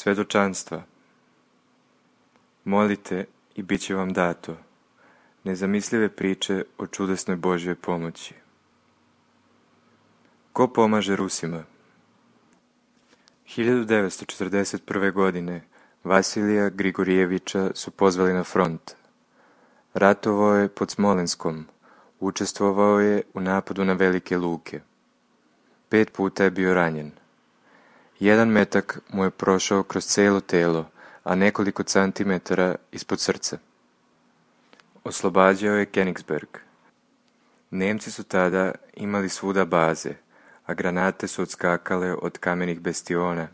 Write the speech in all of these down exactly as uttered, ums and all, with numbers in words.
Svedočanstva. Molite i bit će vam dato. Nezamislive priče o čudesnoj Božjoj pomoći. Ko pomaže Rusima? hiljadu devetsto četrdeset prve. godine Vasilija Grigorijevića su pozvali na front. Ratovao je pod Smolenskom. Učestvovao je u napadu na Velike Luke. Pet puta je bio ranjen. Jedan metak mu je prošao kroz cijelo telo, a nekoliko centimetara ispod srca. Oslobađao je Königsberg. Nemci su tada imali svuda baze, a granate su odskakale od kamenih bastiona.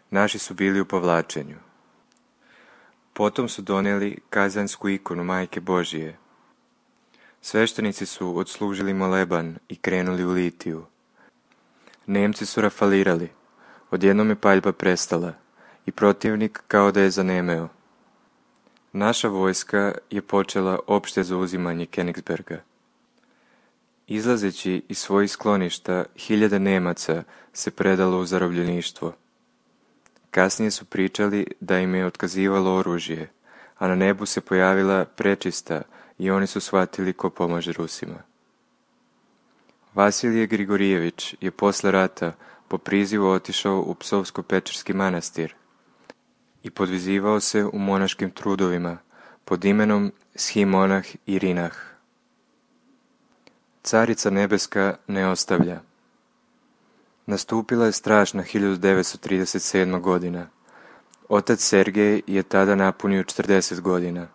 Naši su bili u povlačenju. Potom su donijeli kazansku ikonu Majke Božije. Sveštenici su odslužili moleban i krenuli u litiju. Nemci su rafalirali. Odjednom je paljba prestala i protivnik kao da je zanemeo. Naša vojska je počela opšte zauzimanje Königsberga. Izlazeći iz svojih skloništa, hiljade Nemaca se predalo u zarobljeništvo. Kasnije su pričali da im je otkazivalo oružje, a na nebu se pojavila prečista i oni su shvatili ko pomaže Rusima. Vasilije Grigorijević je posle rata po prizivu otišao u Psovsko-Pečerski manastir i podvizivao se u monaškim trudovima pod imenom Shimonah Irinah. Carica nebeska ne ostavlja. Nastupila je strašna hiljadu devetsto trideset sedma. godina. Otac Sergej je tada napunio četrdeset godina.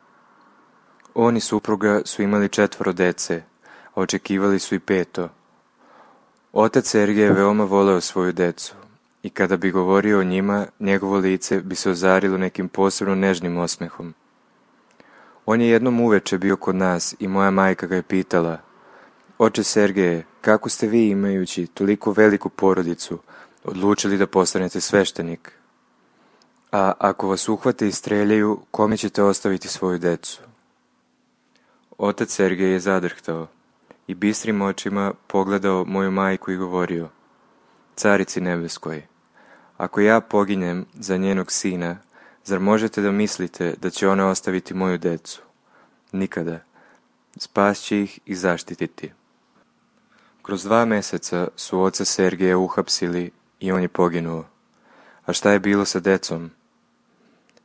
On i supruga su imali četvoro dece, a očekivali su i peto. Otac Sergej je veoma voleo svoju decu i kada bi govorio o njima, njegovo lice bi se ozarilo nekim posebno nežnim osmehom. On je jednom uveče bio kod nas i moja majka ga je pitala: Oče Sergeje, kako ste vi, imajući toliko veliku porodicu, odlučili da postanete sveštenik? A ako vas uhvate i streljaju, kome ćete ostaviti svoju decu? Otac Sergej je zadrhtao i bistrim očima pogledao moju majku i govorio: Carici nebeskoj, ako ja poginem za njenog sina, zar možete da mislite da će ona ostaviti moju decu? Nikada. Spas će ih i zaštititi. Kroz dva meseca su oca Sergeja uhapsili i on je poginuo. A šta je bilo sa decom?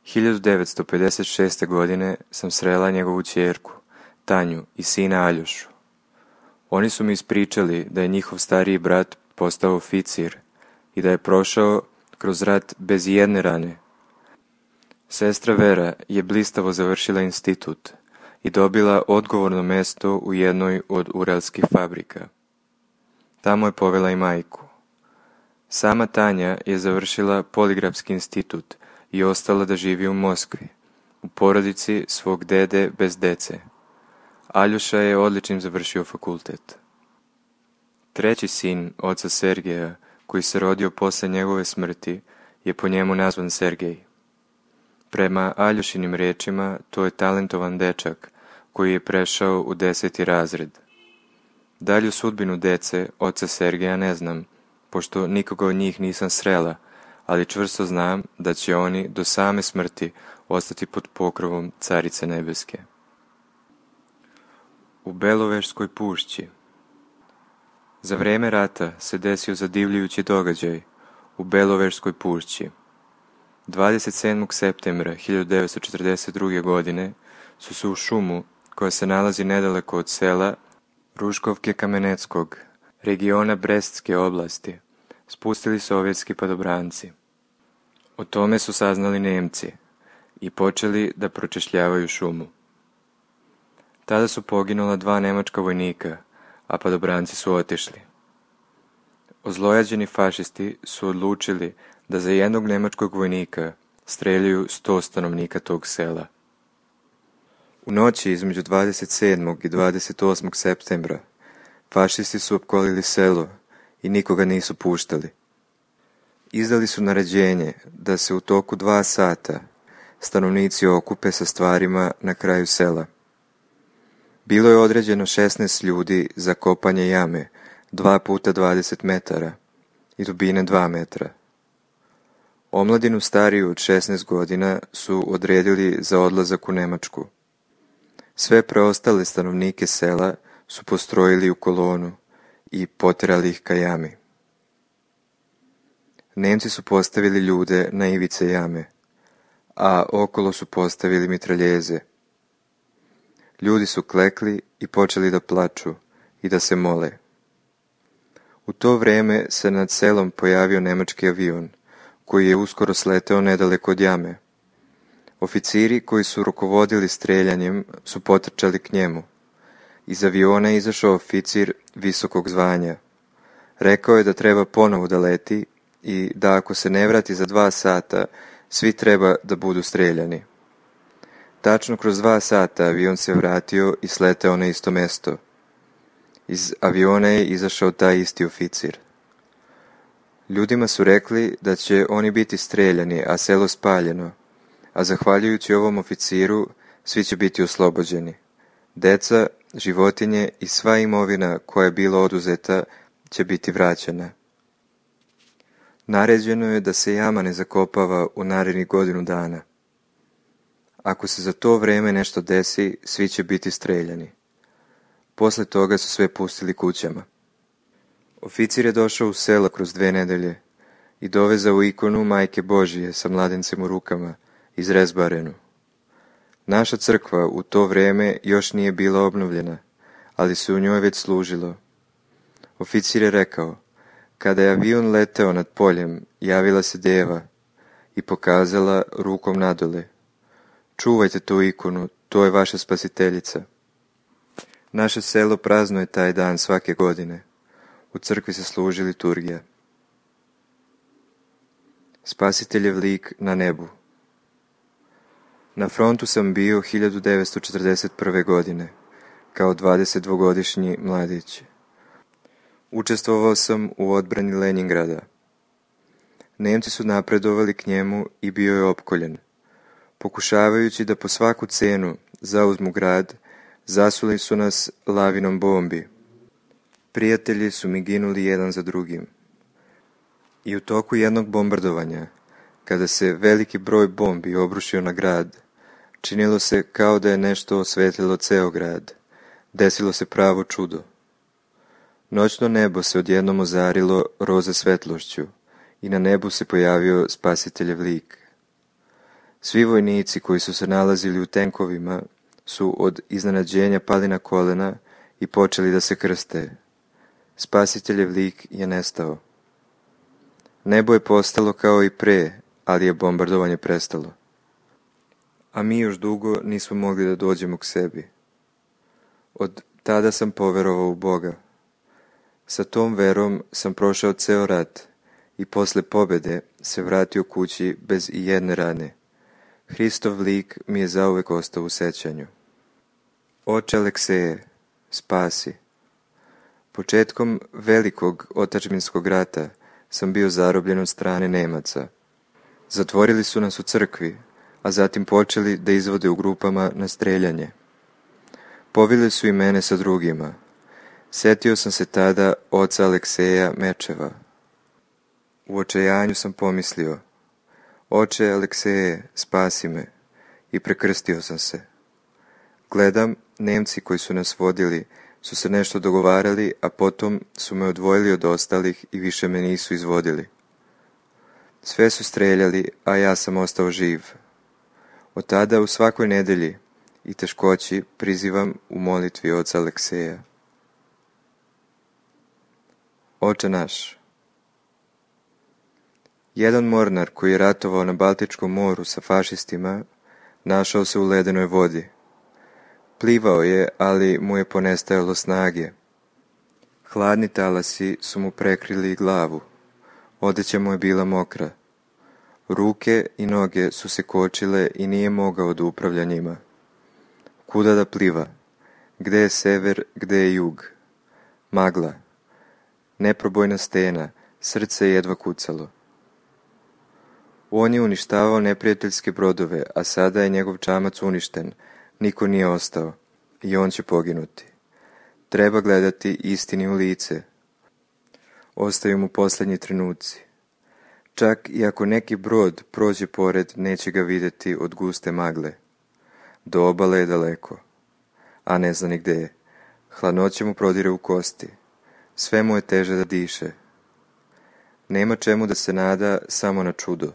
hiljadu devetsto pedeset šeste. godine sam srela njegovu ćerku, Tanju, i sina Aljošu. Oni su mi ispričali da je njihov stariji brat postao oficir i da je prošao kroz rat bez jedne rane. Sestra Vera je blistavo završila institut i dobila odgovorno mesto u jednoj od uralskih fabrika. Tamo je povela i majku. Sama Tanja je završila poligrafski institut i ostala da živi u Moskvi, u porodici svog dede bez dece. Aljoša je odličnim završio fakultet. Treći sin oca Sergeja, koji se rodio posle njegove smrti, je po njemu nazvan Sergej. Prema Aljošinim rečima, to je talentovan dečak koji je prešao u deseti razred. Dalju sudbinu dece oca Sergeja ne znam, pošto nikoga od njih nisam srela, ali čvrsto znam da će oni do same smrti ostati pod pokrovom Carice nebeske. U Belovežskoj pušći. Za vreme rata se desio zadivljujući događaj u Belovežskoj pušći. dvadeset sedmog septembra hiljadu devetsto četrdeset druge. godine su se u šumu, koja se nalazi nedaleko od sela Ruškovke Kameneckog, regiona Brestske oblasti, spustili sovjetski padobranci. O tome su saznali Nemci i počeli da pročešljavaju šumu. Tada su poginula dva nemačka vojnika, a padobranci su otišli. Ozlojađeni fašisti su odlučili da za jednog nemačkog vojnika streljaju sto stanovnika tog sela. U noći između dvadeset sedmog i dvadeset osmog septembra fašisti su opkolili selo i nikoga nisu puštali. Izdali su naređenje da se u toku dva sata stanovnici okupe sa stvarima na kraju sela. Bilo je određeno šesnaest ljudi za kopanje jame dva puta dvadeset metara i dubine dva metra. Omladinu stariju od šesnaest godina su odredili za odlazak u Nemačku. Sve preostale stanovnike sela su postrojili u kolonu i poterali ih ka jami. Nemci su postavili ljude na ivice jame, a okolo su postavili mitraljeze. Ljudi su klekli i počeli da plaču i da se mole. U to vreme se nad selom pojavio nemački avion, koji je uskoro sleteo nedaleko od jame. Oficiri koji su rukovodili streljanjem su potrčali k njemu. Iz aviona je izašao oficir visokog zvanja. Rekao je da treba ponovo da leti i da ako se ne vrati za dva sata, svi treba da budu streljani. Tačno kroz dva sata avion se vratio i sleteo na isto mesto. Iz aviona je izašao taj isti oficir. Ljudima su rekli da će oni biti streljani, a selo spaljeno, a zahvaljujući ovom oficiru svi će biti oslobođeni. Deca, životinje i sva imovina koja je bila oduzeta će biti vraćena. Naređeno je da se jama ne zakopava u narednih godinu dana. Ako se za to vreme nešto desi, svi će biti streljani. Posle toga su sve pustili kućama. Oficir je došao u selo kroz dve nedelje i dovezao ikonu Majke Božije sa mladencem u rukama, izrezbarenu. Naša crkva u to vreme još nije bila obnovljena, ali se u njoj već služilo. Oficir je rekao, kada je avion leteo nad poljem, javila se deva i pokazala rukom nadole. Čuvajte tu ikonu, to je vaša spasiteljica. Naše selo praznuje taj dan svake godine. U crkvi se služi liturgija. Spasiteljev lik na nebu. Na frontu sam bio hiljadu devetsto četrdeset prve. godine, kao dvadesetdvogodišnji mladić. Učestvovao sam u odbrani Leningrada. Nemci su napredovali k njemu i bio je opkoljen. Pokušavajući da po svaku cenu zauzmu grad, zasuli su nas lavinom bombi. Prijatelji su mi ginuli jedan za drugim. I u toku jednog bombardovanja, kada se veliki broj bombi obrušio na grad, činilo se kao da je nešto osvetlilo ceo grad. Desilo se pravo čudo. Noćno nebo se odjednom ozarilo roze svetlošću i na nebu se pojavio spasiteljev lik. Svi vojnici koji su se nalazili u tenkovima su od iznenađenja pali na kolena i počeli da se krste. Spasiteljev lik je nestao. Nebo je postalo kao i pre, ali je bombardovanje prestalo. A mi još dugo nismo mogli da dođemo k sebi. Od tada sam poverovao u Boga. Sa tom verom sam prošao ceo rat i posle pobede se vratio kući bez i jedne rane. Hristov lik mi je zauvek ostao u sećanju. Oče Alekseje, spasi. Početkom velikog otadžbinskog rata sam bio zarobljen od strane Nemaca. Zatvorili su nas u crkvi, a zatim počeli da izvode u grupama na streljanje. Povili su i mene sa drugima. Setio sam se tada oca Alekseja Mečeva. U očajanju sam pomislio: Oče Alekseje, spasi me, i prekrstio sam se. Gledam, Nemci koji su nas vodili su se nešto dogovarali, a potom su me odvojili od ostalih i više me nisu izvodili. Sve su streljali, a ja sam ostao živ. Od tada u svakoj nedelji i teškoći prizivam u molitvi oca Alekseja. Oče naš. Jedan mornar koji je ratovao na Baltičkom moru sa fašistima našao se u ledenoj vodi. Plivao je, ali mu je ponestajalo snage. Hladni talasi su mu prekrili glavu. Odeća mu je bila mokra. Ruke i noge su se kočile i nije mogao da upravlja njima. Kuda da pliva? Gde je sever, gde je jug? Magla. Neprobojna stena, srce je jedva kucalo. On je uništavao neprijateljske brodove, a sada je njegov čamac uništen. Niko nije ostao i on će poginuti. Treba gledati istini u lice. Ostaju mu posljednji trenuci. Čak i ako neki brod prođe pored, neće ga vidjeti od guste magle. Do obale je daleko, a ne zna ni gde je. Hladnoća mu prodire u kosti. Sve mu je teže da diše. Nema čemu da se nada, samo na čudo.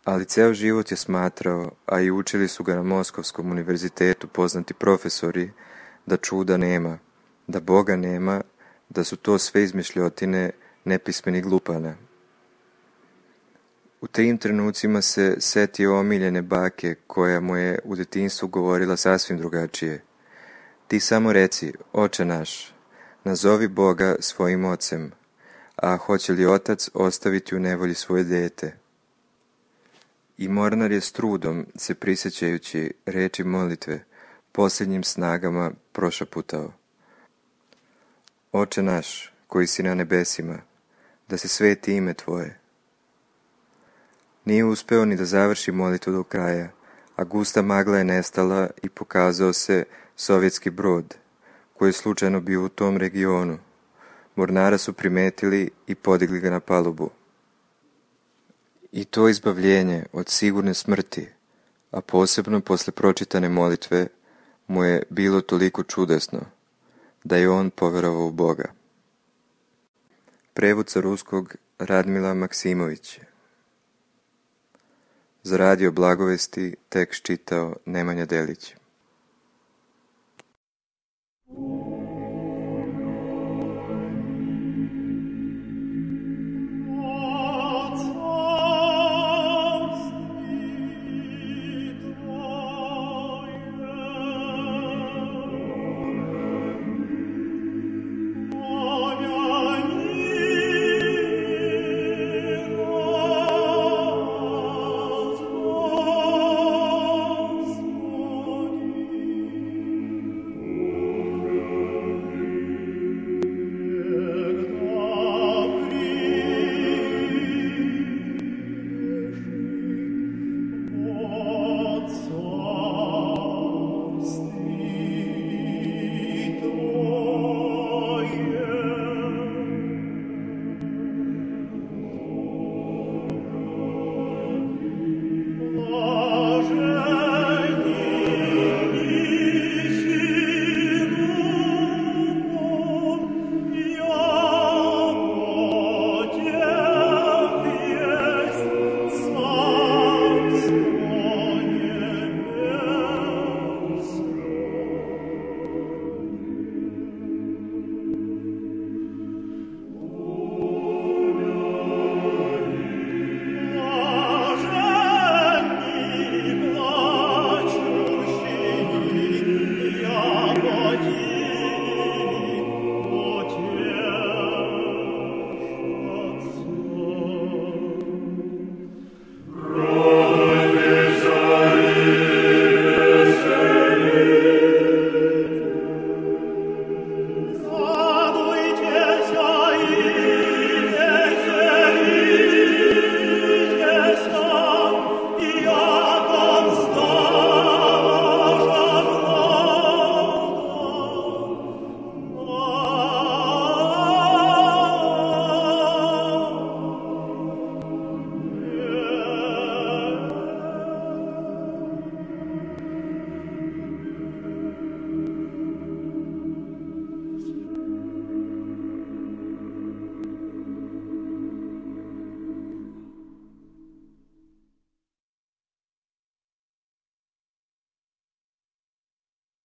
Ali ceo život je smatrao, a i učili su ga na Moskovskom univerzitetu poznati profesori, da čuda nema, da Boga nema, da su to sve izmišljotine nepismenih glupana. U tim trenucima se setio omiljene bake koja mu je u detinjstvu govorila sasvim drugačije. Ti samo reci, Oče naš, nazovi Boga svojim ocem, a hoće li otac ostaviti u nevolji svoje dete? I mornar je s trudom, se prisjećajući reči molitve, posljednjim snagama prošaputao: Oče naš, koji si na nebesima, da se sveti ime Tvoje. Nije uspeo ni da završi molitvu do kraja, a gusta magla je nestala i pokazao se sovjetski brod, koji je slučajno bio u tom regionu. Mornara su primetili i podigli ga na palubu. I to izbavljenje od sigurne smrti, a posebno posle pročitane molitve, mu je bilo toliko čudesno, da je on poverovao u Boga. Prevod sa ruskog Radmila Maksimović. Za radio Blagovesti tekst čitao Nemanja Delić.